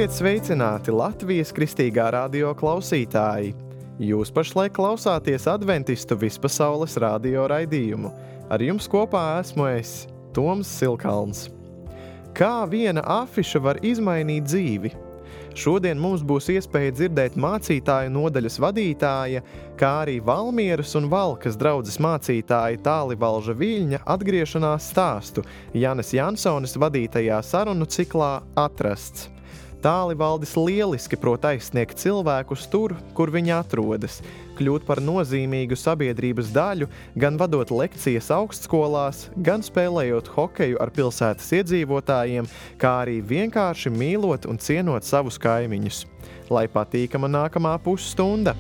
Esiet sveicināti Latvijas Kristīgā radio klausītāji! Jūs pašlaik klausāties adventistu vispasaules radio raidījumu. Ar jums kopā esmu es, Toms Silkalns. Kā viena afiša var izmainīt dzīvi? Šodien mums būs iespēja dzirdēt mācītāju nodaļas vadītāja, kā arī Valmieras un Valkas draudzes mācītāja Tālivalža Viļņa atgriešanās stāstu Janes Jansones vadītajā sarunu ciklā Atrasts. Tālivaldis lieliski prot aizsniegt cilvēkus tur, kur viņi atrodas, kļūt par nozīmīgu sabiedrības daļu, gan vadot lekcijas augstskolās, gan spēlējot hokeju ar pilsētas iedzīvotājiem, kā arī vienkārši mīlot un cienot savus kaimiņus. Lai patīkama nākamā pusstunda!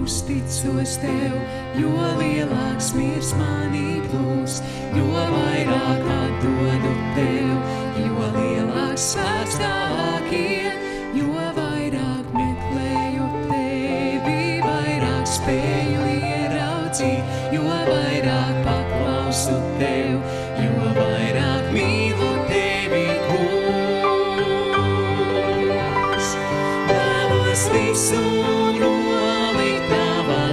Uzticos tev, jo lielāks miers manī būs, jo vairāk atdodu tev, jo lielāks spēks tavāk ir, jo vairāk meklēju tevi, vairāk spēju ieraudzīt, jo vairāk paklausu tev, jo vairāk mīlu tevi, kungs. Vēlos visu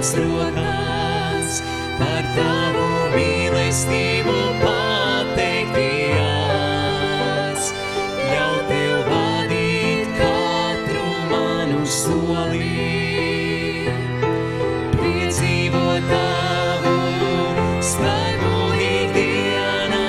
rokās, par tavu mīlestību pateikties, ļauj tev vadīt katru manu soli, piedzīvot tavu spēku ikdienās,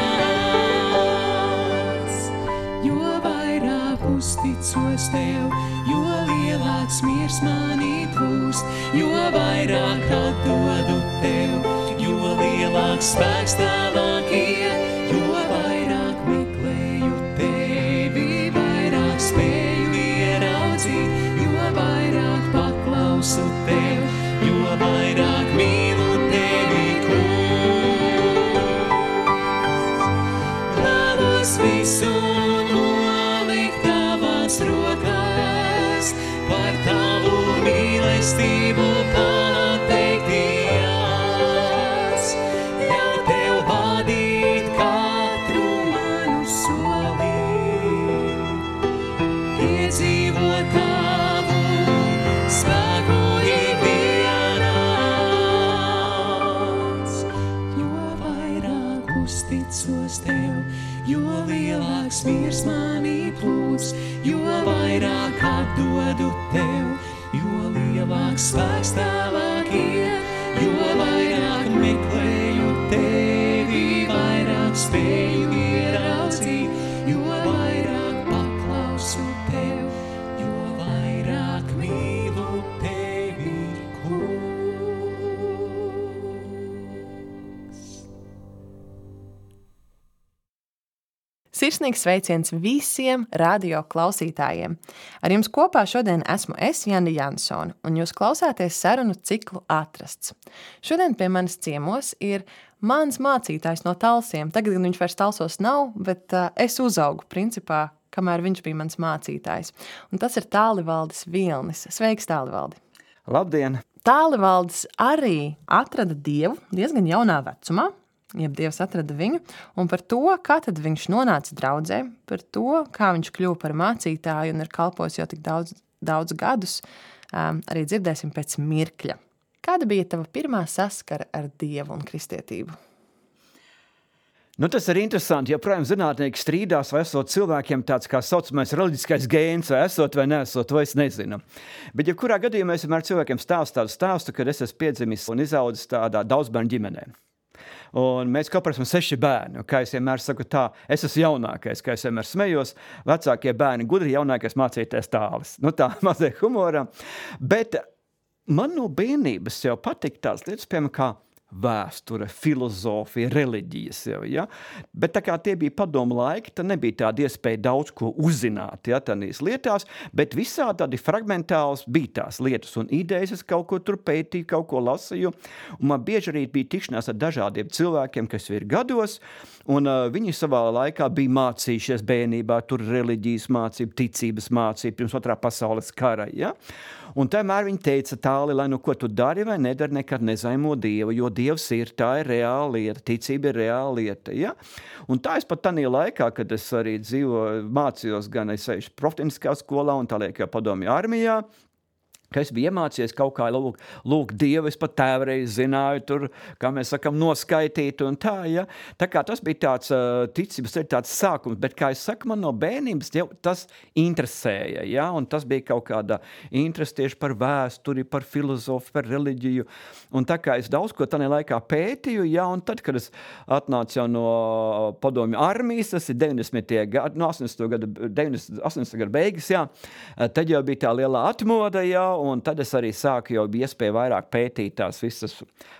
jo vairāk uzticos tev, jo lielāks miers manī plūst, jo vairāk atdodu tev, jo lielāks spēks tavāk ir, jo vairāk meklēju tevi, vairāk spēju ieraudzīt, jo vairāk paklausu tev, jo vairāk mīlu tevi, kungs. Vēlos visu nolikt tavās rokās, par tavu mīlestību pateikties, ļauj tev vadīt katru manu soli, piedzīvot tavu spēku ikdienās, jo vairāk uzticos tev, jo lielāks miers manī plūst, jo vairāk atdodu tev, jo lielāks spēks tavāk ir, jo vairāk meklēju tevi, vairāk spēju ieraudzīt, jo vairāk paklausu tev, jo vairāk mīlu tevi, kungs. Sirsnīgs sveiciens visiem radio klausītājiem. Ar jums kopā šodien esmu es, Jane Jansone, un jūs klausāties sarunu ciklu Atrasts. Šodien pie manis ciemos ir mans mācītājs no Talsiem. Tagad gan viņš vairs Talsos nav, bet es uzaugu principā, kamēr viņš bija mans mācītājs. Un tas ir Tālivaldis Vilnis. Sveiks, Tālivaldi! Labdien! Tālivaldis arī atrada Dievu diezgan jaunā vecumā, jeb Dievs atrada viņu, un par to, kā tad viņš nonāca draudzē, par to, kā viņš kļuva par mācītāju un ir kalpojis jau tik daudz gadus, arī dzirdēsim pēc mirkļa. Kāda bija tava pirmā saskara ar Dievu un kristietību? Tas ir interesanti, jo, protams, zinātnieki strīdās, vai esot cilvēkiem tāds kā saucamais reliģiskais gēns, vai esot vai neesot, to es nezinu. Bet, jebkurā gadījumā es vienmēr cilvēkiem stāstu, kad es esmu piedzimis un izaudzis tādā daudzbērnu ģimenē. Un mēs kopā esam 6 bērni, kā es vienmēr saku tā, es esmu jaunākais, kā es vienmēr smējos, vecākie bērni gudri, jaunākais mācīties Tālis. Tā mazliet humora, bet man no bērnības jau patīk tās lietas, piemēram, kā vēsture, filozofija, reliģijas jau, ja? Bet tā kā tie bija padomu laiki, tad nebija tāda iespēja daudz ko uzzināt, ja, tādīs lietās, bet visā tādi fragmentāls bija tās lietas un idejas, es kaut ko tur pētīju, kaut ko lasīju, un man bieži arī bija tikšanās ar dažādiem cilvēkiem, kas ir gados, Un viņi savā laikā bija mācījušies bērnībā, tur reliģijas mācība, ticības mācība, pirms otrā pasaules kara, ja? Un tomēr viņi teica tāli, lai nu ko tu dari vai nedari, nekad nezaimo Dievu, jo Dievs ir, tā ir reāla lieta, ticība ir reāla lieta, ja? Un tā es pat tādā laikā, kad es arī mācījos gan es eju profetiskā skolā un tāliek jau padomju armijā, ka es biju iemācījies kaut kā lūgt Dievu, es pat tēvreiz zināju tur, kā mēs sakam, noskaitīt un tā, ja. Tā kā tas bija tāds ticības, tāds sākums, bet, kā es saku, man no bērnības jau tas interesēja, ja, un tas bija kaut kāda interese tieši par vēsturi, par filozofiju, par reliģiju, un tā kā es daudz ko tādā laikā pētīju, ja, un tad, kad es atnācu jau no padomju armijas, tas ir 90. gadu, no 80. gadu beigas, ja, tad jau bija tā lielā atmoda, ja, un tad es arī sāku jau iespēju vairāk pētīt tās visas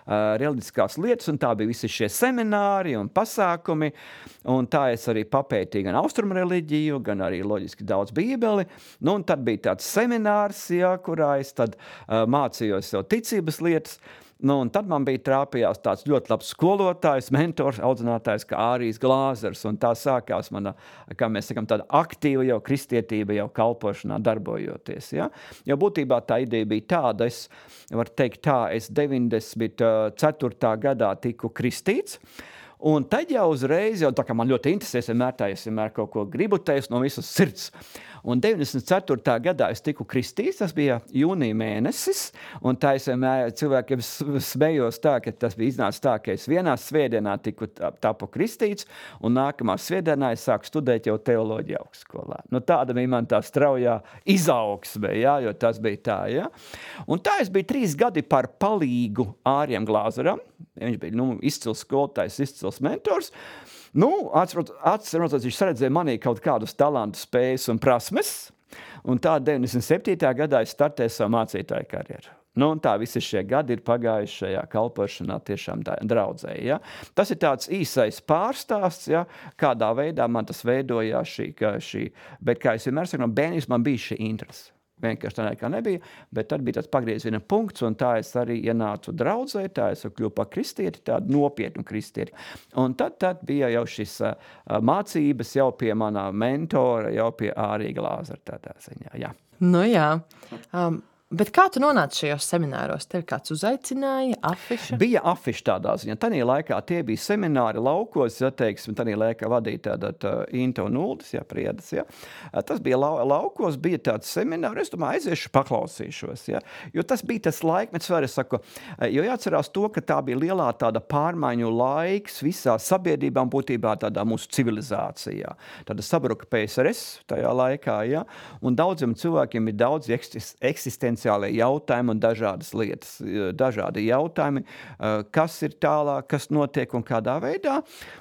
reliģiskās lietas, un tā bija visi šie semināri un pasākumi, un tā es arī papētīju gan austrumu reliģiju, gan arī loģiski daudz bībeli, nu, un tad bija tāds seminārs, ja, kurā es tad mācījos jau ticības lietas. Nu, un tad man bija trāpījās tāds ļoti labs skolotājs, mentors, audzinātājs kā Ārijs Glāzers, un tā sākās mana, kā mēs sakam, tāda aktīva jau kristietība, jau kalpošanā darbojoties, ja? Jo būtībā tā ideja bija tāda, es varu teikt tā, es 94. gadā tiku kristīts, un tad jau uzreiz, jau tā kā man ļoti interesēs, es vienmēr kaut ko gribu teikt no visas sirds. Un 94. gadā es tiku kristīts, tas bija jūnija mēnesis, un tā es vienmēr cilvēkiem smējos tā, ka tas bija iznācis tā, ka es vienā svētdienā tapu kristīts, un nākamā svētdienā es sāku studēt jau teoloģiju augstskolā. Nu, tāda bija man tā straujā izaugsme, ja, jo tas bija tā, ja. Un tā es biju 3 gadi par palīgu Ārijam Glāzeram, viņš bija, izcils skolotājs, izcils mentors. Atceros, viņš saredzēja manī kaut kādus talantus, spējas un prasmes, un tā 97. gadā es startēju savu mācītāju karjeru. Un tā visi šie gadi ir pagājuši šajā kalpošanā tiešām draudzē, ja. Tas ir tāds īsais pārstāsts, ja, kādā veidā man tas veidojās šī, bet kā es vienmēr saku, no bērnības man bija šī interese. Vienkārši tā nekā nebija, bet tad bija tāds pagrieziena punkts, un tā es arī ienācu draudzē, tā es kļuvu par kristieti, tādu nopietnu kristieti. Un tad bija jau šis mācības jau pie manā mentora, jau pie Ārija Glāzera tādā ziņā, jā. Nu jā. Bet kā tu nonāci šajos semināros? Tev kāds uzaicināja, afiša? Bija afiša tādā ziņā. Tanī laikā tie bija semināri laukos, ja teiksim, tanī laikā vadīja tāda Inte un Uldis, ja, Priedas, ja. Tas bija laukos, bija tāds semināri, es domāju, aiziešu, paklausīšos, ja. Jo tas bija tas laikmets, var es saku, jo jāatcerās to, ka tā bija lielā tāda pārmaiņu laiks visā sabiedrībām būtībā tādā mūsu civilizācijā. Tāda sabruka PSRS tajā laikā, ja, un daudziem cilvēkiem ir daudz eksistenciāli jautājumi un dažādas lietas, dažādi jautājumi, kas ir tālāk, kas notiek un kādā veidā.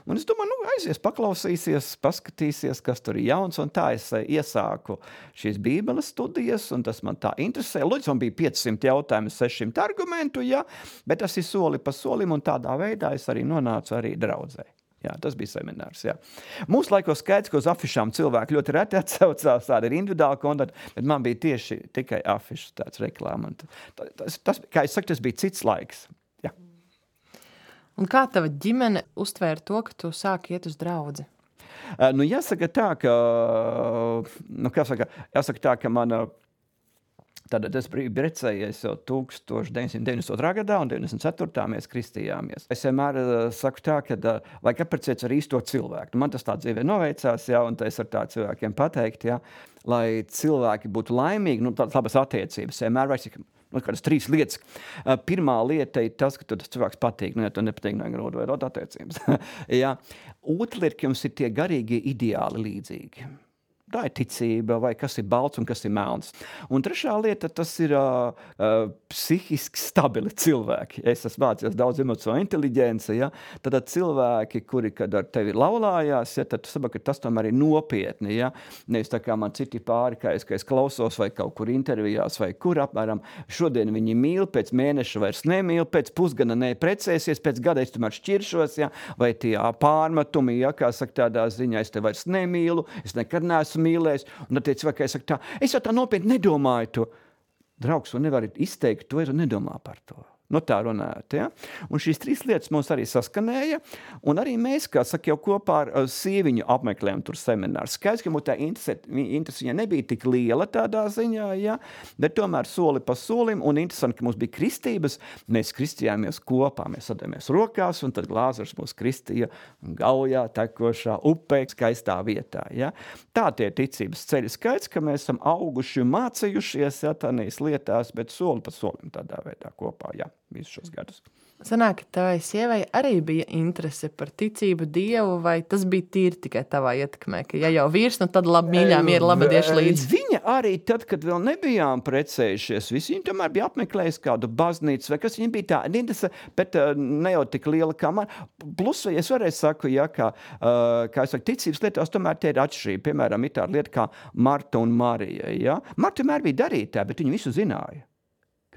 Un es domāju, aizies, paklausīsies, paskatīsies, kas tur ir jauns, un tā es iesāku šīs bībeles studijas, un tas man tā interesē. Lūdzu, man bija 500 jautājumi, 600 argumentu, ja, bet tas ir soli pa solim, un tādā veidā es arī nonācu arī draudzē. Jā, tas bija seminārs, jā. Mūsu laikos skaidrs, ka uz afišām cilvēki ļoti reti atsaucās, tāda ir individuāla kontakta, bet man bija tieši tikai afišas tāds reklāma. Tas, kā es saku, tas bija cits laiks, jā. Un kā tava ģimene uztvēra to, ka tu sāki iet uz draudzi? Jāsaka tā, ka mana Tad es biju precējies jau 1992. gadā un 94. mēs kristījāmies. Es vienmēr saku tā, ka vajag apprecēties ar īsto cilvēku. Man tas tā dzīvē noveicās, ja, un es ar tā cilvēkiem pateikt, ja, lai cilvēki būtu laimīgi, tādas labas attiecības. Vienmēr vajag kādas 3 lietas. Pirmā lieta ir tas, ka tas cilvēks patīk, ja tu nepatīk, nevajag veidot attiecības. Ja. Otra lieta, ka jums ir tie garīgie ideāli līdzīgi. Tā ir ticība, vai kas ir balts un kas ir melns. Un trešā lieta, tas ir psihiski stabili cilvēki. Es esmu mācījos daudz emocionālo inteliģenci, ja? Tad cilvēki, kuri, kad ar tevi laulājās, ja? Tad tu saproti, ka tas tomēr ir nopietni. Ja? Nevis tā kā man citi pāri, ka es klausos vai kaut kur intervijās vai kur apmēram. Šodien viņi mīl, pēc mēneša vairs nemīl, pēc pusgada neprecēsies, pēc gada es tomēr šķiršos, ja? Vai tie pārmetumi, ja? Kā saka tādā ziņā, es te vairs nemīlu, es nekad neesmu mīlējis, un tad tie cilvēki saka tā, es jau tā nopietni nedomāju to. Draugs, tu nevari izteikt to, ja tu nedomā par to. No tā runājot, ja? Un šīs 3 lietas mums arī saskanēja, un arī mēs, kā saka, jau kopā ar sieviņu apmeklējam tur semināru. Skaidrs, ka mums tā interese viņai nebija tik liela tādā ziņā, ja? Bet tomēr soli pa solim, un interesanti, ka mums bija kristības, mēs kristījāmies kopā, mēs sadējāmies rokās, un tad Lāzars mūs kristīja Gaujā, tekošā upē, skaistā vietā, ja? Tā tie ticības ceļi. Skaidrs, ka mēs esam auguši un mācījušies, ja, tādās lietās, bet soli pa solim tādā veidā kopā, ja. Visus šos gadus. Sanāk, ka tavai sievai arī bija interese par ticību Dievu, vai tas bija tīri tikai tavā ietekmē, ka ja jau vīrs, nu tad labi mīļā miera labadieši līdzi. Viņa arī tad, kad vēl nebijām precējušies, visi viņa tomēr bija apmeklējis kādu baznīcu, vai kas viņa bija tā interese, bet ne jau tik liela kā man. Plus, es varēju saku, ja, kā es saku, ticības lietās tomēr tie ir atšķirība. Piemēram, ir tāda lieta kā Marta un Marija, ja. Marta vienmēr bija darītāja, bet viņa visu zināja.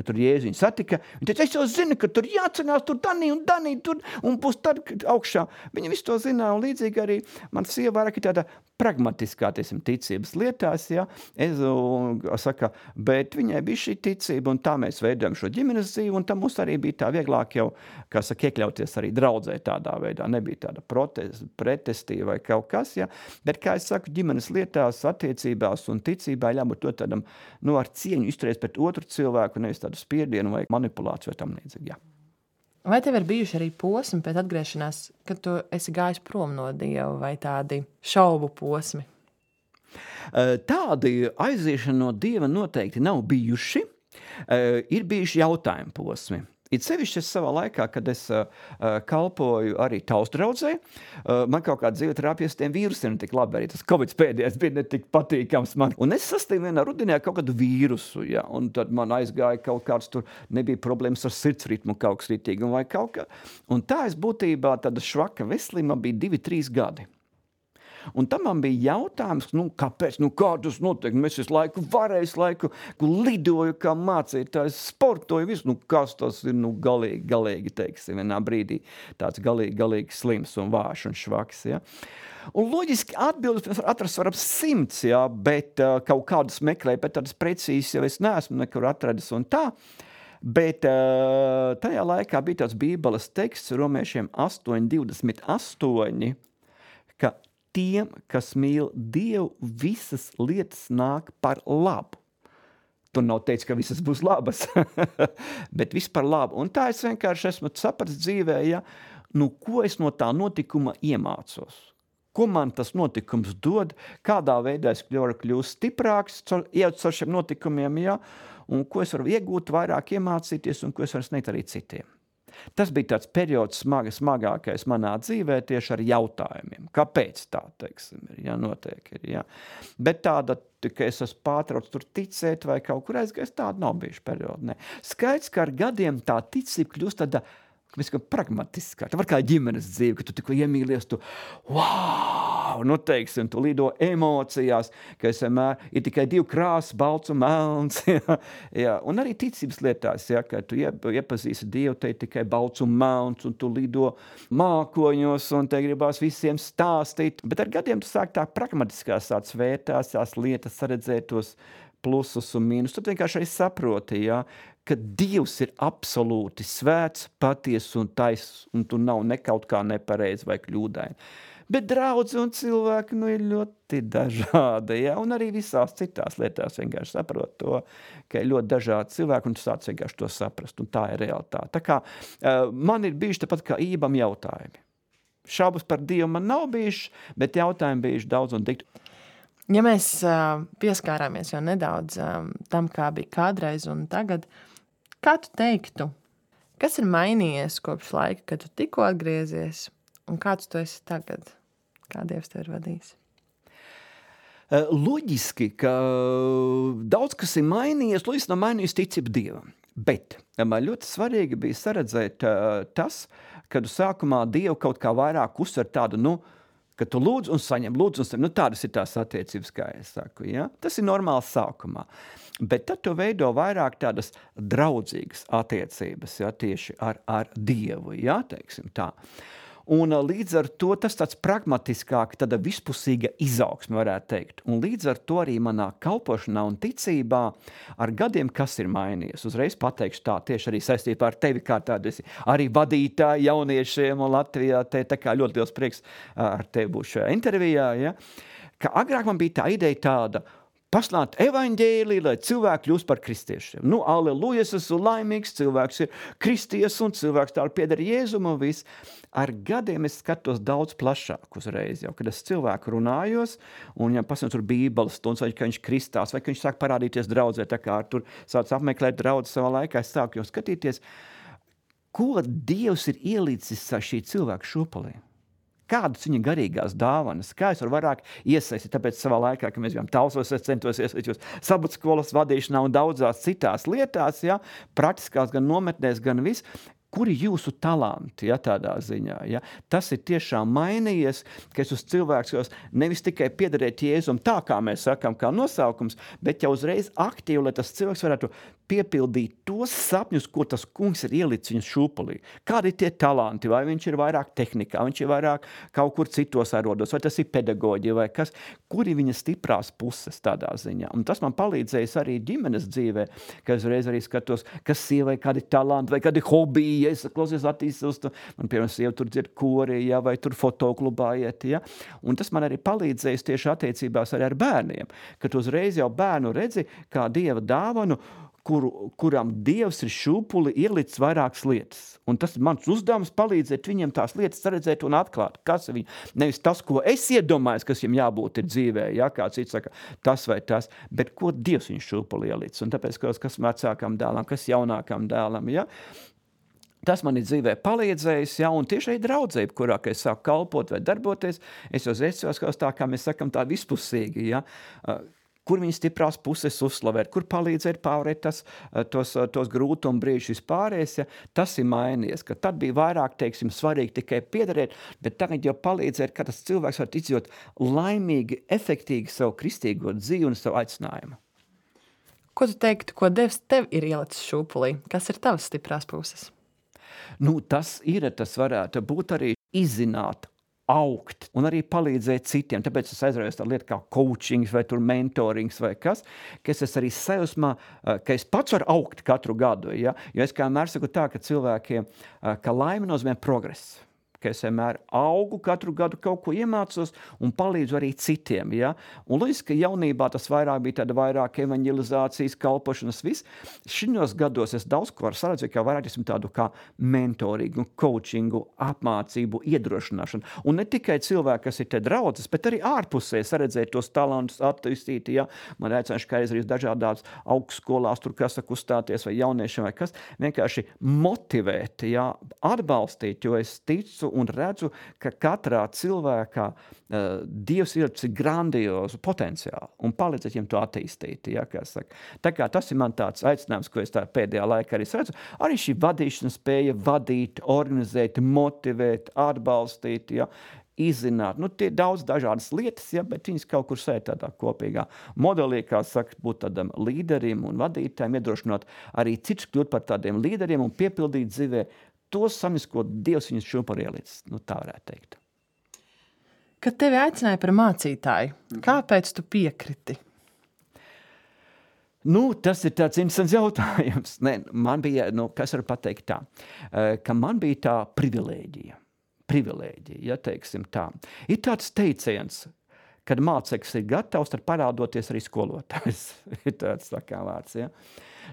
Kad tur Jēzu viņu satika, viņa teica, es jau zinu, ka tur jācenās, tur Danī, tur, un būs tad augšā. Viņa visu to zināja, un līdzīgi arī man sieva vairāk ir tāda pragmatiskā, tiesim, ticības lietās, ja, saka, bet viņai bija šī ticība, un tā mēs veidojam šo ģimenes dzīvi, un tam mums arī bija tā vieglāk jau, kā saka, iekļauties arī draudzē tādā veidā, nebija tāda pretestība vai kaut kas, ja, bet, kā es saku, ģimenes lietās, attiecībās un ticībā jābūt to tādam, nu, ar cieņu izturēties pret otru cilvēku, nevis tādu spiedienu vai manipulāciju vai tam līdzīgi, jā. Vai tev ir bijuši arī posmi pēc atgriešanās, kad tu esi gājis prom no Dieva, vai tādi šaubu posmi? Tādi aiziešana no Dieva noteikti nav bijuši. Ir bijuši jautājumu posmi. It sevišķi es savā laikā, kad es kalpoju arī taustdraudzē, man kaut kā dzīve terapijas tiem vīrusiem tik labi, arī tas Covid pēdējais bija ne tik patīkams man. Un es sastīju vienā rudenī kaut kādu vīrusu, ja, un tad man aizgāja kaut kāds tur, nebija problēmas ar sirdsritmu kaut kas ritīgi, vai kaut kā. Un tā es būtībā tāda švaka veselība bija 2-3 gadi. Un tam man bija jautājums, nu, kāpēc, nu, kā tas notiek? Mēs visu laiku lidoju, kā mācītājs, sportoju, visu, nu, kas tas ir, nu, galīgi, teiksim, vienā brīdī tāds galīgi slims un vāš un švaks, ja. Un loģiski atbildes atrast var ap 100, ja, bet kaut kādas meklēju, bet tādas precīzes jau es neesmu nekur atradis un tā. Bet tajā laikā bija tāds bībeles teksts, romiešiem 8:28, ka tiem, kas mīl Dievu, visas lietas nāk par labu. Tur nav teicis, ka visas būs labas, bet viss par labu. Un tā es vienkārši esmu sapratis dzīvē, ja, nu, ko es no tā notikuma iemācos. Ko man tas notikums dod, kādā veidā es varu kļūst stiprāks, ejot caur šiem notikumiem, ja, un ko es varu iegūt, vairāk iemācīties, un ko es varu sniegt arī citiem. Tas bija tāds periods smagākais manā dzīvē tieši ar jautājumiem. Kāpēc tā, teiksim, ir, ja, notiek, ir, ja. Bet tāda, ka es esmu pārtrauc tur ticēt vai kaut kur aizgājis, tāda nav bijuši periodi, ne. Skaidrs, ka ar gadiem tā ticība kļūst tāda, mēs kā pragmatiskā. Tā var kā ģimenes dzīve, ka tu tikko iemīlies, tu, wow, nu teiksim, tu lido emocijās, ka es vienmēr ir tikai 2 krāsas, balts un melns, ja, ja. Un arī ticības lietās, ja, ka tu iepazīsi Dievu, te ir tikai balts un melns, un tu lido mākoņos, un te gribās visiem stāstīt. Bet ar gadiem tu sāk tā pragmatiskās tāds vērtās, tās lietas saredzētos plusus un mīnus. Tad vienkārši arī saproti, ja, ka Dievs ir absolūti svēts, paties un tais, un tu nav nekaut kā nepareizi vai kļūdaini. Bet draudzi un cilvēki, nu, ir ļoti dažādi, ja, un arī visās citās lietās vienkārši saprot to, ka ir ļoti dažādi cilvēki, un tu sāc vienkārši to saprast, un tā ir realitāte. Tā kā man ir bijuši tāpat kā Ībam jautājumi. Šaubas par Dievu man nav bijuši, bet jautājumi bijuši daudz un dikti. Ja mēs pieskārāmies jau nedaudz tam, kā bija kādreiz un tagad, kā tu teiktu, kas ir mainījies kopš laika, kad tu tikko atgriezies, un kāds tu esi tagad? Kā Dievs tev ir vadījis? Loģiski, ka daudz kas ir mainījies, loģiski nav mainījies ticība Dievam. Bet man ļoti svarīgi bija saredzēt tas, kad sākumā Dievu kaut kā vairāk uzsver tādu, nu, ka tu lūdz un saņem, nu tādas ir tās attiecības, kā es saku, ja? Tas ir normāls sākumā. Bet tad tu veido vairāk tādas draudzīgas attiecības, ja, tieši ar Dievu, ja, teiksim tā. Un līdz ar to tas tāds pragmatiskāk, tāda vispusīga izaugsme, varētu teikt. Un līdz ar to arī manā kalpošanā un ticībā ar gadiem, kas ir mainījies. Uzreiz pateikšu tā, tieši arī saistībā ar tevi, kā tādu esi arī vadītāji jauniešiem un Latvijā. Te tā kā ļoti liels prieks ar tevi būt šajā intervijā. Ja? Ka agrāk man bija tā ideja tāda, paslāt evaņģēliju, lai cilvēki kļūst par kristiešiem. Nu, aleluja, es esmu laimīgs, cilvēks ir kristies un cilvēks tā pieder Jēzum un viss. Ar gadiem es skatos daudz plašāk uzreiz, jau, kad es cilvēku runājos, un ja pasniedz tur bībeles stundas, vai ka viņš kristās, vai ka viņš sāk parādīties draudzē, tā kā tur sāc apmeklēt draudzi savā laikā, es sāku jau skatīties, ko Dievs ir ielicis šī cilvēka šūpulī. Kādas viņa garīgās dāvanas, kā es varu vairāk iesaistīt, tāpēc savā laikā, kad mēs bijām Talsos, es centos iesaistīt sabats vadīšanā un daudzās citās lietās, ja, praktiskās gan nometnēs, gan viss, kuri jūsu talanti, ja, tādā ziņā, ja. Tas ir tiešām mainījies, ka es uz cilvēks nevis tikai piederēt Jēzum tā, kā mēs sakam, kā nosaukums, bet jau uzreiz aktīvi, lai tas cilvēks varētu piepildīt tos sapņus, ko tas kungs ir ielicis viņas šūpulī. Kādi ir tie talanti, vai viņš ir vairāk tehnikā, viņš ir vairāk kaut kur citos arodos, vai tas ir pedagoģija, vai kas, kuri viņa stiprās puses tādā ziņā. Un tas man palīdzējis arī ģimenes dzīvē, ka es reiz arī skatos, kas sievai kādi talanti, vai kādi hobiji, ja es klausies attīstos, man piemēram sieva tur dzird kori, ja, vai tur fotoklubā iet, ja. Un tas man arī palīdzējis tieši attiecībās arī ar bērniem, kad uzreiz jau bērnu redzi kā Dieva dāvanu, kuram Dievs ir šūpuli ielicis vairākas lietas. Un tas ir mans uzdevums palīdzēt viņiem tās lietas redzēt un atklāt, kas ir viņi. Nevis tas, ko es iedomājos, kas viņam jābūt ir dzīvē, ja, kā cits saka, tas vai tas, bet ko Dievs viņu šūpuli ielicis. Un tāpēc, kas vecākam dēlam, kas jaunākam dēlam, ja. Tas man ir dzīvē palīdzējis, ja, un tieši arī draudzē, kurā, kad es sāku kalpot vai darboties, es jau esos tā, kā mēs sakam, tā vispusīgi, ja, kur viņas stiprās puses uzslavēt, kur palīdzēt pārēt tos grūtumu brīžus vispārējais, ja, tas ir mainījies, ka tad bija vairāk, teiksim, svarīgi tikai piederēt, bet tagad jau palīdzēt, ka tas cilvēks var izdzīvot laimīgi, efektīgi savu kristīgo dzīvi un savu aicinājumu. Ko tu teiktu, ko Dievs tev ir ielicis šūpulī? Kas ir tavas stiprās puses? Nu, tas varētu būt arī izzināt, augt un arī palīdzēt citiem. Tāpēc es aizraujos tā lieta kā coachings vai tur mentorings vai kas, ka es arī sajūsmā, ka es pats varu augt katru gadu. Ja? Jo es kā vienmēr saku tā, ka cilvēkiem, ka laime nozīmē progress. Ka es vienmēr augu, katru gadu kaut ko iemācos un palīdzu arī citiem. Ja? Un līdz, ka jaunībā tas vairāk bija tāda vairāk evaņģelizācijas, kalpošanas, viss. Šinos gados es daudz ko varu saredzēt, kā vairāk esmu tādu kā mentoringu, coachingu, apmācību, iedrošināšanu. Un ne tikai cilvēki, kas ir te draudzes, bet arī ārpusē saredzēt tos talantus, attīstīt. Ja? Man aicināšu, kā arī dažādās augstskolās, tur kas saka uzstāties vai jauniešiem vai kas, vienkārši motivēt, ja? Atbalstīt, jo es ticu un redzu, ka katrā cilvēkā Dievs ir grandiozu potenciālu un palīdzēt viņam to attīstīt. Ja, kā saka. Tā kā tas ir man tāds aicinājums, ko es tā pēdējā laikā arī redzu. Arī šī vadīšanas spēja vadīt, organizēt, motivēt, atbalstīt, ja, izzināt. Nu, tie daudz dažādas lietas, ja, bet viņas kaut kur sēž tādā kopīgā modelī, kā saka, būt tādam līderim un vadītājiem, iedrošināt arī cits kļūt par tādiem līderiem un piepildīt dzīvē tos samis, ko Dievs viņus šūpulī ielicis. Nu, tā varētu teikt. Kad tevi aicināja par mācītāju, kāpēc tu piekriti? Nu, tas ir tāds interesants jautājums. Man bija, kas var pateikt tā, ka man bija tā privilēģija, ja teiksim tā. Ir tāds teiciens, kad māceklis ir gatavs, tad parādoties arī skolotājs. Ir tāds tā kā vārds, ja.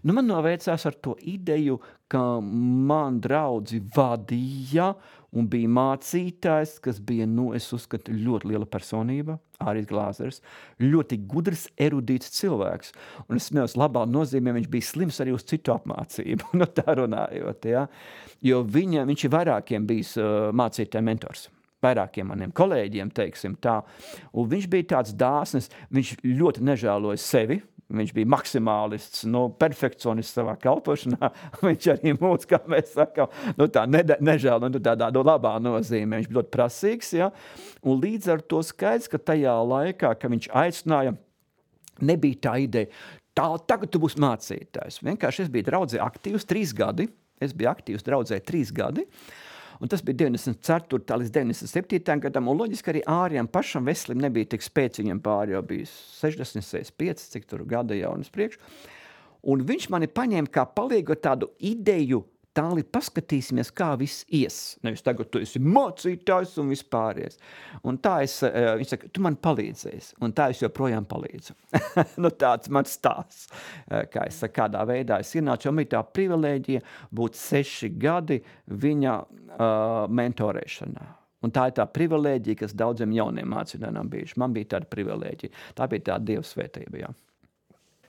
Nu, man noveicās ar to ideju, ka man draudzi vadīja un bija mācītājs, kas bija, es uzskatu, ļoti liela personība, Āris Glāzers, ļoti gudrs, erudīts cilvēks. Un es smējos labā nozīmē, viņš bija slims arī uz citu apmācību, tā runājot, ja. Jo viņš ir vairākiem bijis mācītāja mentors. Vairākiem maniem kolēģiem, teiksim tā. Un viņš bija tāds dāsnis, viņš ļoti nežēloja sevi, viņš bija maksimālists, perfekcionists savā kalpošanā, viņš arī mūs, kā mēs sakām, tā nežēl, tādā labā nozīmē, viņš bija ļoti prasīgs, ja, un līdz ar to skaidrs, ka tajā laikā, ka viņš aicināja, nebija tā ideja, tagad tu būsi mācītājs, vienkārši es biju draudzē aktīvs 3 gadi, Un tas bija 94. līdz 97. gadam, un loģiski arī Ārijam pašam veselim nebija tik spēcīgi, viņam pāri jau bija 60, 65, cik tur gada jau un uz priekšu. Un viņš mani paņēma kā palīgu tādu ideju, tāli paskatīsimies, kā viss ies. Nevis tagad tu esi mācītājs un vispāries. Un tā viņš saka, tu man palīdzēsi. Un tā es joprojām palīdzu. Nu tāds mans stāsts. Kā es saku, kādā veidā es ienācu, jo man tā privilēģija būt 6 gadi viņa mentorēšanā. Un tā ir tā privilēģija, kas daudziem jauniem mācītājiem bijuši. Man bija tāda privilēģija. Tā bija tā Dieva svētība, jā.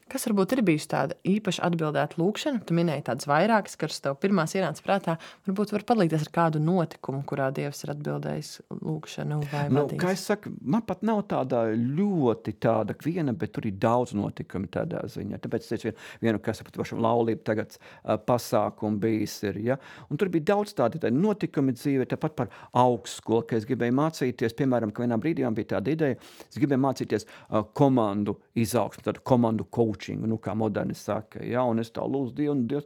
Kas varbūt ir bijusi tāda īpaši atbildēta lūkšana? Tu minēji tādas vairākas, kas tev pirmās ienāca prātā. Varbūt var padalīties ar kādu notikumu, kurā Dievs ir atbildējis lūkšanu vai vadījis. Kā es saku, man pat nav tāda ļoti tāda viena, bet tur ir daudz notikumi tādā ziņā. Tāpēc es teicu vienu kas par pašam laulību tagad pasākumu bijis ir, ja? Un tur bija daudz tādi notikumi dzīvē, tāpat par augstskolu, ka es gribēju mācīties, piemēram, ka vienā brīdī man bija tāda ideja, es gribēju mācīties komandu izaugsmu, tādu komandu coaching, kā moderni saka, ja, un es tā lūdzu Dievu,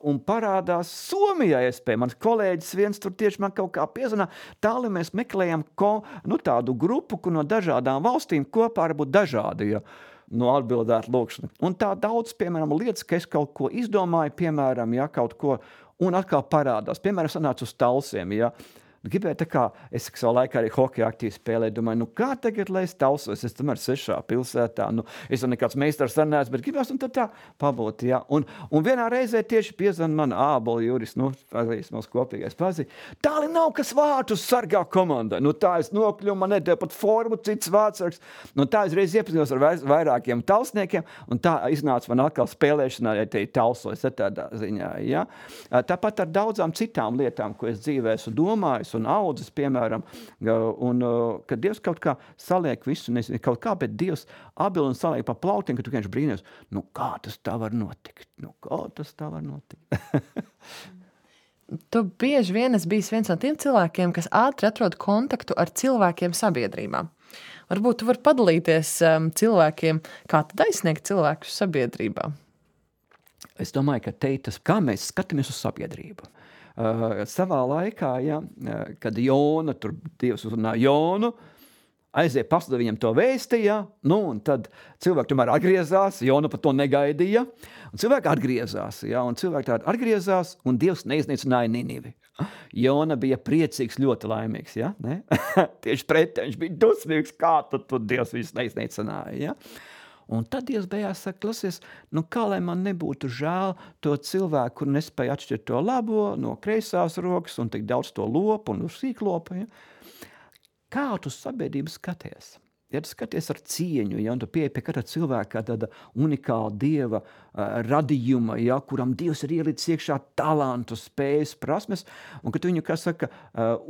un parādās Somijā iespēja. Mans kolēģis viens tur tieši man kaut kā piezvanā, tāli mēs meklējam tādu grupu, kur no dažādām valstīm kopā var būt dažādi, ja, atbildēt lūkšana. Un tā daudz, piemēram, lietas, ka es kaut ko izdomāju, piemēram, ja, kaut ko, un atkal parādās. Piemēram, sanācu uz Talsiem, ja, gribēju tā kā, es savā laikā arī hokeju aktīvi spēlēju, domāju, kā tagad, lai es Talsos, es tomēr 6. pilsētā, es jau nekāds meistars sanācu, bet gribēs un tad tā pabūt, jā. Un vienā reizē tieši piezvan man Ābola Juris, pazīst mūsu kopīgais pazīst, tāli nav, kas vārtus sargā komandai, tā es nokļuvu, man nedēļ pat formu, cits vārtsargs, tā es reiz iepazinos ar vairākiem talsniekiem, un tā iznāca man atkal spēlēšanā, ja te ir Talsos, tādā ziņā, jā. Tāpat ar daudzām citām lietām, ko es dzīvē esmu domājis, un audzes, piemēram, un kad Dievs kaut kā saliek visu, nezinu, kaut kā, bet Dievs abil un saliek pa plautiem, ka tu vienkārši brīnies, kā tas tā var notikt? Tu bieži vien esi bijis viens no tiem cilvēkiem, kas ātri atrod kontaktu ar cilvēkiem sabiedrībā. Varbūt tu vari padalīties cilvēkiem, kā tad aizsniegt cilvēkus sabiedrībā? Es domāju, ka tas, kā mēs skatāmies uz sabiedrību. Savā laikā, ja, kad Jona, tur Dievs uzrunā Jonu, aiziet pasludina viņam to vēsti, ja, un tad cilvēki tomēr atgriezās, Jona par to negaidīja, un cilvēki atgriezās, ja, un un Dievs neiznīcināja Ninivi. Jona bija priecīgs, ļoti laimīgs, ja, ne? Tieši pretēji, viņš bija dusmīgs, kā tad Dievs viņus neiznīcināja, ja. Un tad Dievs beigās saka, klausies, kā lai man nebūtu žēl to cilvēku, kur nespēja atšķirt to labo no kreisās rokas un tik daudz to lopu un sīklopu, ja? Kā tu sabiedrību skaties? Ja tu skaties ar cieņu, ja, un tu pieeji pie katra cilvēka kā tāda unikāla Dieva radījuma, ja, kuram Dievs ir ielicis iekšā talantu, spējas, prasmes, un ka tu viņu, kā saka,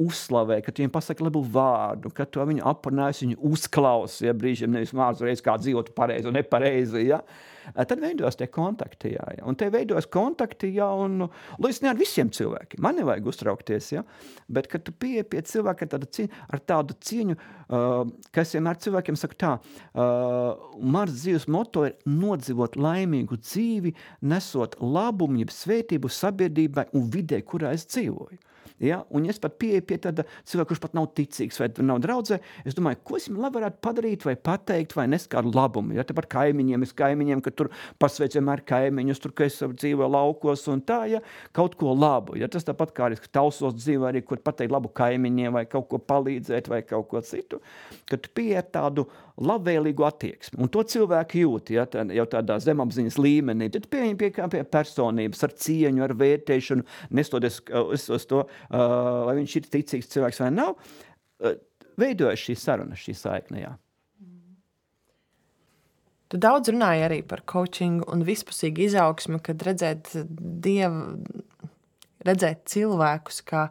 uzslavē, ka tu viņam pasaki labu vārdu, ka tu viņu aprunājas, viņu uzklausi, ja, brīžiem nevis mācu reiz kā dzīvot pareizi un nepareizi, ja. Tad veidojas tie kontakti, jā. Un te veidojas kontakti, jā, un līdz ne ar visiem cilvēkiem. Man nevajag uztraukties, jā. Bet, kad tu pieeji pie cilvēka ar tādu cieņu, kas vienmēr cilvēkiem saka tā, mans dzīves moto ir nodzīvot laimīgu dzīvi, nesot labumu, jeb svētību sabiedrībai un vidē, kurā es dzīvoju. Ja? Un es pat pieeju pie tāda cilvēka, kurš pat nav ticīgs vai nav draudzē, es domāju, ko es viņam varētu padarīt vai pateikt vai nes kādu labumu. Ja? Tāpat kaimiņiem, ka tur pasveic vienmēr kaimiņus, tur, ka es dzīvoju laukos un tā, ja? Kaut ko labu. Ja? Tas tāpat kā arī Talsos dzīvo arī, kur pateikt labu kaimiņiem vai kaut ko palīdzēt vai kaut ko citu, kad tu pieeji tādu labvēlīgu attieksmi. Un to cilvēku jūt, ja, jau tādā zemapziņas līmenī. Tad pie personības, ar cieņu, ar vērtēšanu, nestoties uz to, vai viņš ir ticīgs cilvēks vai nav, veidojas šī saruna, šī saikne, jā. Tu daudz runāji arī par coachingu un vispusīgu izaugsmu, kad redzēt cilvēkus kā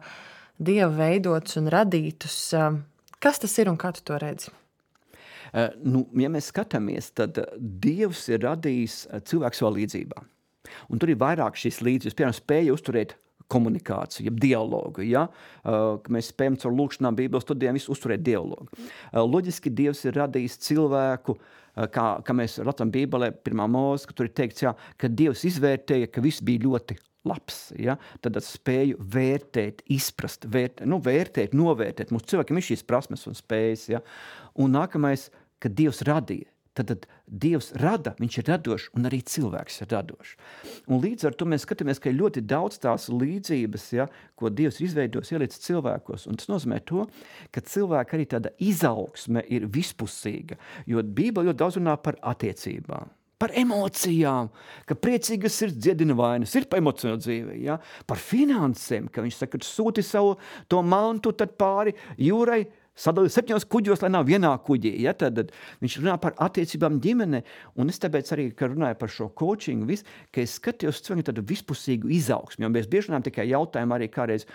Dieva veidotus un radītus. Kas tas ir un kā tu to redzi? Ja mēs skatāmies, tad Dievs ir radījis cilvēku savā līdzībā. Un tur ir vairāk šīs līdzības, piemēram, spēja uzturēt komunikāciju, jeb dialogu, ja? Mēs spējam caur lūkšanām, Bībeles studijām visu uzturēt dialogu. Loģiski Dievs ir radījis cilvēku, kā mēs lasām Bībelē, 1. Mūzes, ka tur ir teikts, jā, ka Dievs izvērtēja, ka viss bija ļoti labs, ja? Tad spēju vērtēt, izprast, vērtēt, novērtēt. Mums cilvēkiem ir šīs prasmes un spējas, ja? Un nākamais, kad Dievs radīja. Tad Dievs rada, viņš ir radošs, un arī cilvēks ir radošs. Un līdz ar to mēs skatāmies, ka ir ļoti daudz tās līdzības, ja, ko Dievs ir izveidojis, ielicis cilvēkos. Un tas nozīmē to, ka cilvēka arī tāda izaugsme ir vispusīga. Jo Bībele ļoti daudz runā par attiecībām, par emocijām, ka priecīgas sirds dziedina vainas, ir pa emocionālu dzīvi, ja? Par finansēm, ka viņš saka, sūti savu to mantu tad pāri jūrai, sadalīt 7 kuģos, lai nav vienā kuģī. Ja? Tad viņš runā par attiecībām ģimene, un es tāpēc arī, ka runāju par šo coachingu, ka es skatījos cilvēku tādu vispusīgu izaugsmi, jo mēs bieži runājam tikai jautājumu arī kādreiz,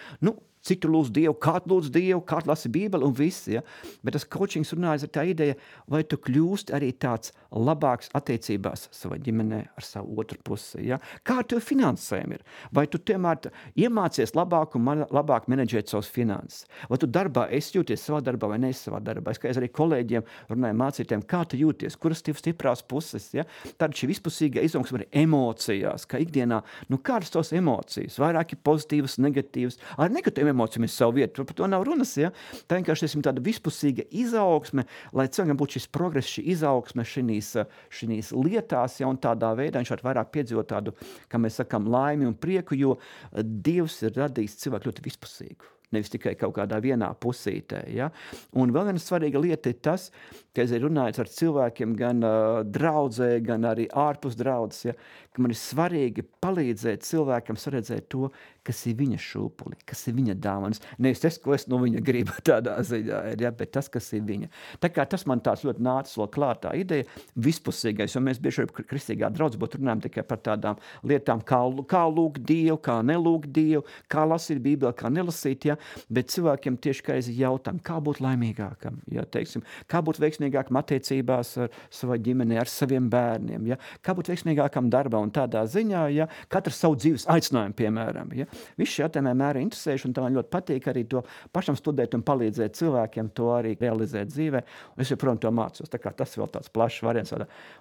cik tu lūdz Dievu, kā tu lūdz Dievu, kā tu lasi Bībeli un viss, ja? Bet tas coachings runājas ar tā ideja, vai tu kļūst arī tāds labāks attiecībās savā ģimenē ar savu otru pusi, ja? Kā tev finansēm ir? Vai tu tiemēr iemācies labāk un labāk menedžēt savus finanses? Vai tu darbā esi jūties savā darbā vai neesi savā darbā? Es kā arī kolēģiem runāju mācītēm, kā tu jūties, kuras tev stiprās puses, ja? Tad šī vispusīga izaugsme ir emocijās, kā ikdienā, kādas tos emocijas? Vairāk ir pozitīvas, negatīvas, ar negatīviem emocijām ir savu vietu, par to nav runas, ja? Tā vienkārši esam tāda vispusīga izaugsme, lai cilvēkam būtu šis progress, šī izaugsme šīs lietās, ja? Un tādā veidā viņš var vairāk piedzīvot tādu, kā mēs sakām, laimi un prieku, jo Dievs ir radījis cilvēku ļoti vispusīgu. Nevis tikai kaut kādā vienā pusītē. Ja? Un vēl viena svarīga lieta ir tas, ka es runāju ar cilvēkiem gan draudzē, gan arī ārpus draudzes, ja? Ka man ir svarīgi palīdzēt cilvēkam saredzēt to, kas ir viņa šūpuli, kas ir viņa dāvanas. Nevis tas, ko es no viņa gribu tādā ziņā, ja? Bet tas, kas ir viņa. Tā kā tas man tāds ļoti nācis vēl klāt tā ideja, vispusīgais, jo mēs bieži kristīgā draudzē būtu runājam tikai par tādām lietām, kā lūgt Dievu, kā nelūgt Dievu, kā lasīt Bībeli, kā nelasīt, ja? Bet cilvēkiem tieši kā es jautājumu, kā būt laimīgākam, ja? Teiksim, kā būt veiksmīgākam attiecībās ar savā ģimenē, ar saviem bērniem, ja? Kā būt veiksmīgākam darbā un tādā ziņā, ja? Katrs savu dzīves aicinājumu, piemēram, ja? Viss šie jautājumi mēr interesējuši, un tā man ļoti patīk arī to pašam studēt un palīdzēt cilvēkiem to arī realizēt dzīvē. Un es joprojām to mācos, tā kā tas vēl tāds plašs variants.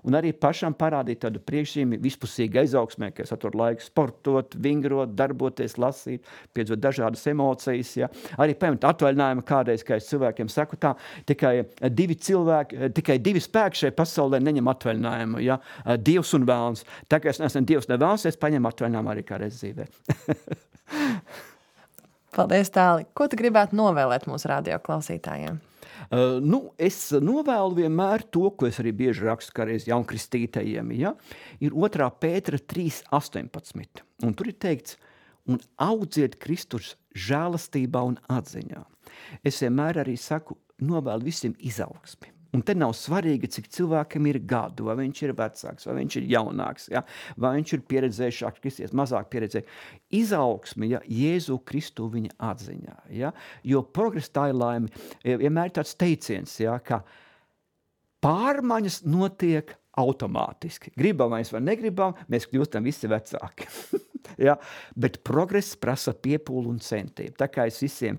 Un arī pašam parādīt tādu priekšzīmi vispusīgu izaugsmē, ka es atrodu laiku sportot, vingrot, darboties, lasīt, piedzīvot dažādas emocijas, ja? Arī paņemt atvaļinājumu kādreiz, kā es cilvēkiem saku tā, tikai 2 spēki šai pasaulē neņem atvaļinājumu, ja? Dievs un vēlns. Tā kā es neesmu Dievs ne vēlns, es paņemu atvaļinājumu arī kādreiz dzīvē. Paldies, Tāli. Ko tu gribētu novēlēt mūsu radio klausītājiem? Es novēlu vienmēr to, ko es arī bieži rakstu kādreiz jaunkristītajiem, ja? Ir 2. Pētera 3:18. Un tur ir teikts, un audziet Kristus žēlastībā un atziņā. Es vienmēr arī saku, novēlu visiem izaugsmi. Un te nav svarīgi, cik cilvēkam ir gadu, vai viņš ir vecāks, vai viņš ir jaunāks, ja? Vai viņš ir pieredzējušāks, kristies, mazāk pieredzējušāks. Izaugsme, ja, Jēzu Kristu viņa atziņā. Ja? Jo progress tā ir laime. Vienmēr tāds teiciens, ja, ka pārmaiņas notiek automātiski. Gribam vai negribam, mēs kļūstam visi vecāki. Ja? Bet progress prasa piepūli un centību. Tā kā es visiem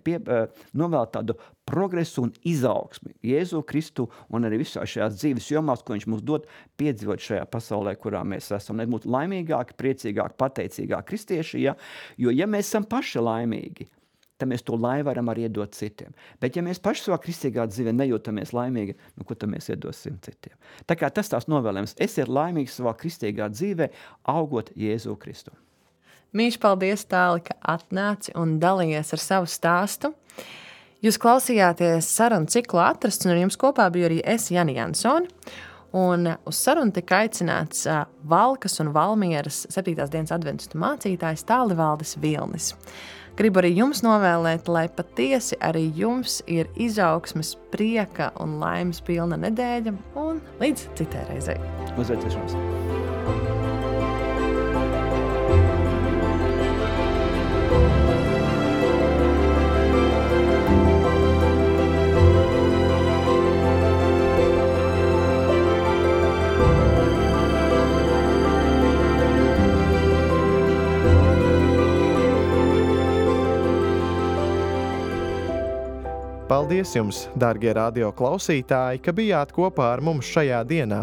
novēlu tādu progresu un izaugsmi. Jēzu Kristu un arī visā šajās dzīves jomās, ko viņš mums dod piedzīvot šajā pasaulē, kurā mēs esam. Lai būtu laimīgāki, priecīgāki, pateicīgāki kristieši, ja? Jo ja mēs esam paši laimīgi, tad mēs to laimi varam arī iedot citiem. Bet ja mēs paši savā kristīgā dzīvē nejūtamies laimīgi, ko tad mēs iedosim citiem? Tā kā tas tās novēlējums. Esiet laimīgi savā kristīgā dzīvē, augot Jēzu Kristu. Mīļš, paldies, Tāli, ka atnāci un dalījies ar savu stāstu. Jūs klausījāties sarunu ciklu Atrasts, un ar jums kopā biju arī es, Jani Jansone. Un uz sarunu tika aicināts Valkas un Valmieras 7. dienas adventistu mācītājs Tālivaldis Vilnis. Gribu arī jums novēlēt, lai patiesi arī jums ir izaugsmes, prieka un laimes pilna nedēļa, un līdz citai reizei. Uz redzēšanos! Paldies jums, dārgie radio klausītāji, ka bijāt kopā ar mums šajā dienā.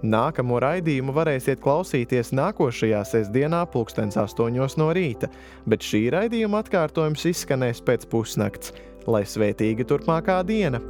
Nākamo raidījumu varēsiet klausīties nākošajā sestdienā 8:00 no rīta, bet šī raidījuma atkārtojums izskanēs pēc pusnakts. Lai svētīga turpmākā diena!